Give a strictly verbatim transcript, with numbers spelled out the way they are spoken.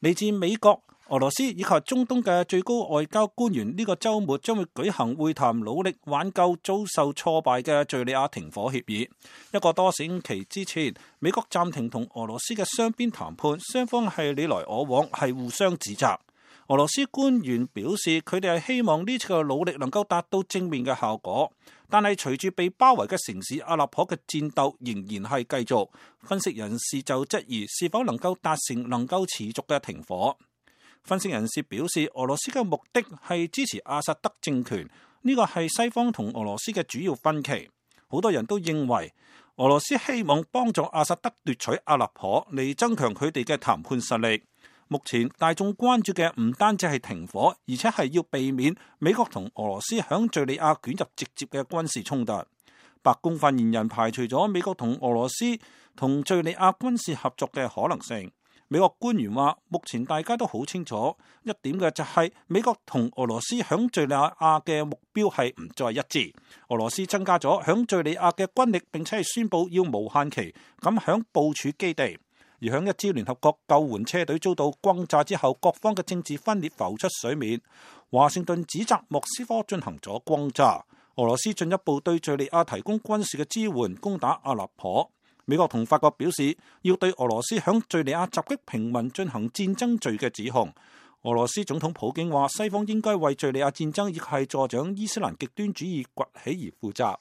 嚟自美國、俄羅斯以及中東嘅最高外交官員呢個週末將會舉行會談，努力挽救遭受挫敗嘅敘利亞停火協議。一個多星期之前，美國暫停同俄羅斯嘅雙邊談判，雙方係你來我往，係互相指責。俄羅斯官員表示，佢哋係希望呢次嘅努力能夠達到正面嘅效果，但係隨住被包圍嘅城市阿勒頗嘅戰鬥仍然係繼續。分析人士就質疑是否能夠達成能夠持續嘅停火。分析人士表示，俄羅斯嘅目的係支持阿薩德政權，呢個係西方同俄羅斯嘅主要分歧。好多人都認為俄羅斯希望幫助阿薩德奪取阿勒頗嚟增強佢哋嘅談判實力。目前大眾關注嘅唔單止係停火，而且係要避免美國同俄羅斯響敘利亞捲入直接嘅軍事衝突。白宮發言人排除咗美國同俄羅斯同敘利亞軍事合作嘅可能性。美國官員話，目前大家都好清楚一點嘅就係美國同俄羅斯響敘利亞嘅目標係唔再一致。俄羅斯增加咗響敘利亞嘅軍力，並且係宣布要無限期咁響部署基地。而響一支聯合國救援車隊遭到轟炸之後，各方嘅政治分裂浮出水面。華盛頓指責莫斯科進行咗轟炸。俄羅斯進一步對敘利亞提供軍事嘅支援，攻打阿勒頗。美國同法國表示要對俄羅斯響敘利亞襲擊平民進行戰爭罪嘅指控。俄羅斯總統普京話，西方應該為敘利亞戰爭以及係助長伊斯蘭極端主義崛起而負責。